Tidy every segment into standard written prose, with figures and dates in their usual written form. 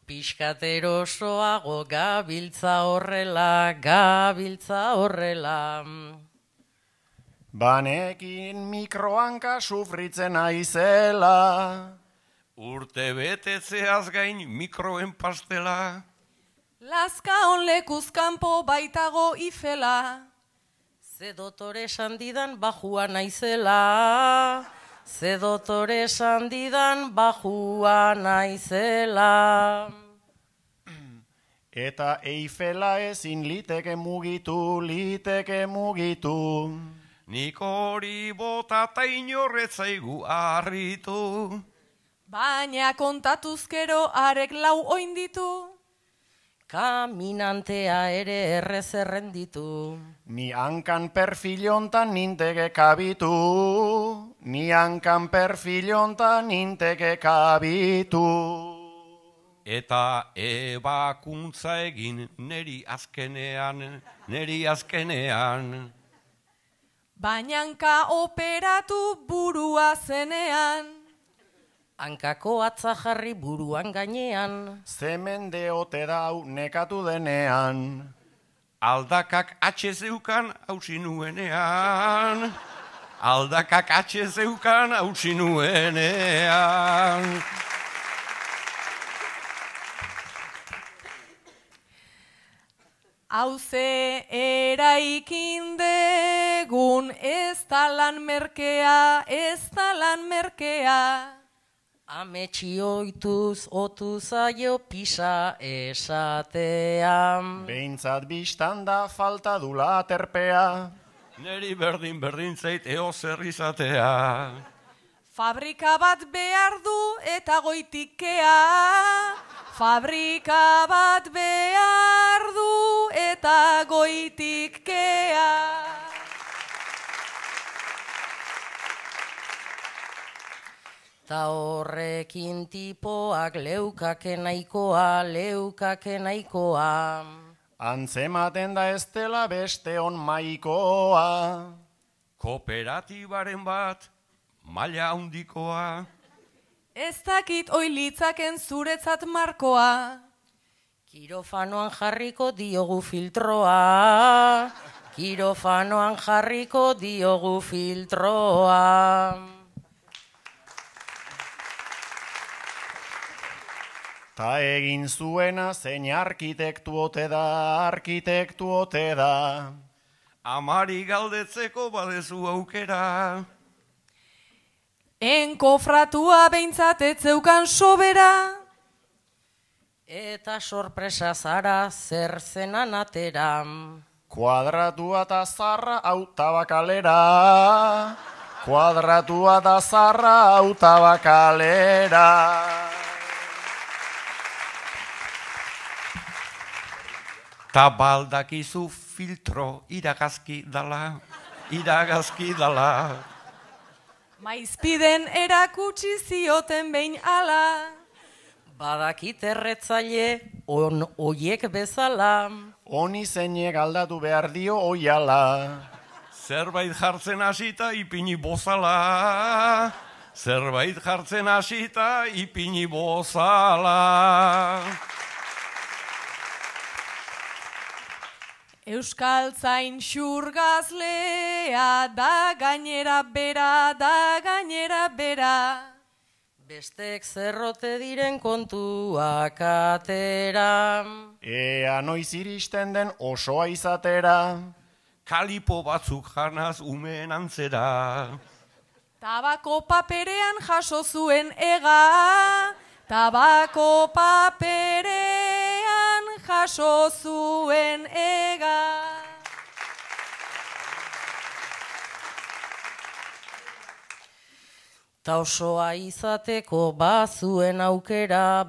Piskaterosoago gabiltza horrela. Banekin mikrohanka sufritzen aizela. Urte betetzeaz gain mikroen pastela. Lazka on lekuz kanpo baitago ifela. Ze dotore esan didan bajua naizela. Eta Eifela ezin liteke mugitu. Nik hori bota ta inorretzaigu harritu. Baina kontatuzkero arek lau oinditu. Kaminantea ere errez errenditu. Ni hankan perfilontan ninteke kabitu. Eta ebakuntza egin neri azkenean. Bainanka operatu burua zenean. Hankako atza jarri buruan gainean. Zemende ote dau nekatu denean. Aldakak atxezeukan hausi nuenean. Hauze eraikin degun ez da lan merkea. Ametsi oituz otu zaio pisa esatean. Behintzat bistan da falta dula aterpea. Neri berdin zait zer izatea. Fabrika bat behar du eta goitikea. Ta horrekin tipoak leukake nahikoa. Antzematen da ez dela beste on maikoa. Kooperatibaren bat maila handikoa. Ez dakit oilitzaken zuretzat markoa. Kirofanoan jarriko diogu filtroa. Ta egin zuena zein arkitektu ote da. Amari galdetzeko badezu aukera. Enkofratua behintzat etzeukan sobera. Eta sorpresa zara zer zenan atera. Kuadratua eta zarra auta bakalera. Ta baldakizu filtro iragazki dala. Maizpiden erakutsi zioten behin ala. Badakit erretzaile oiek bezala. Honi zeinek aldatu behar dio oiala. Zerbait jartzen hasita ipini bozala. Euskaltzain xurgazlea da gainera bera. Bestek zerrote diren kontuak atera. Ea noiz iristen den osoa izatera. Kalipo batzuk janaz umeen antzera. Tabako paperean jaso zuen ega. Ta osoa izateko bazuen aukera.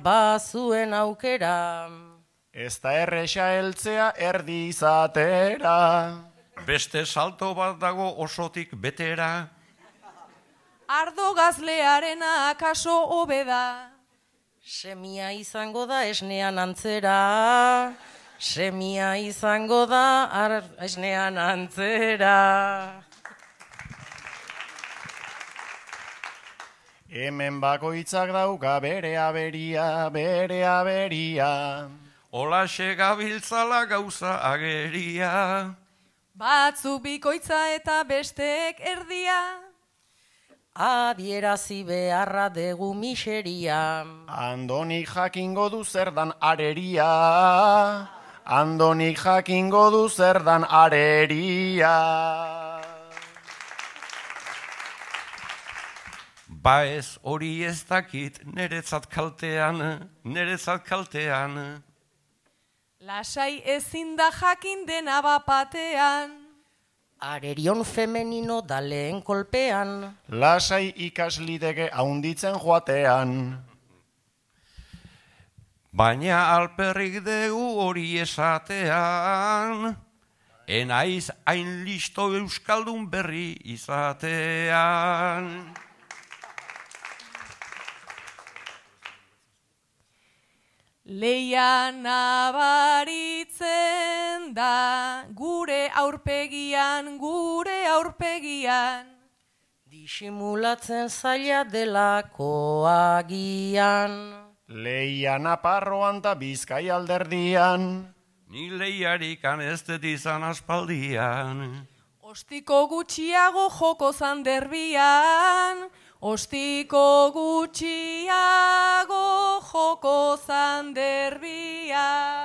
Ez da erresa heltzea erdi izatera. Beste salto bat dago osotik betera. Ardo gazlearena akaso hobeda. Semia izango da esnean antzera. Hemen bakoitzak dauka bere aberia, bere aberia. Olaxe gabiltzala gauza ageria. Batzu bikoitza eta besteek erdia. Adierazi beharra degu miseria. Andonik jakingo du zer dan areria. Andonik jakingo du zer dan areria. Ba ez hori ez dakit neretzat kaltean, neretzat kaltean. Lasai ezin da jakin dena bapatean. Arerion femenino da lehen kolpean. Lasai ikasliteke haunditzen joatean. Baina alperrik dugu hori esatean, enaiz hain listo euskaldun berri izatean. Leia nabaritzen da gure aurpegian, gure aurpegian. Disimulatzen zaila delako agian. Leia Naparroan ta Bizkai alderdian. Ni lehiarikan ez dut izan aspaldian. Ostiko gutxiago joko zanderbian. Ostiko gutxiago joko zanderbian.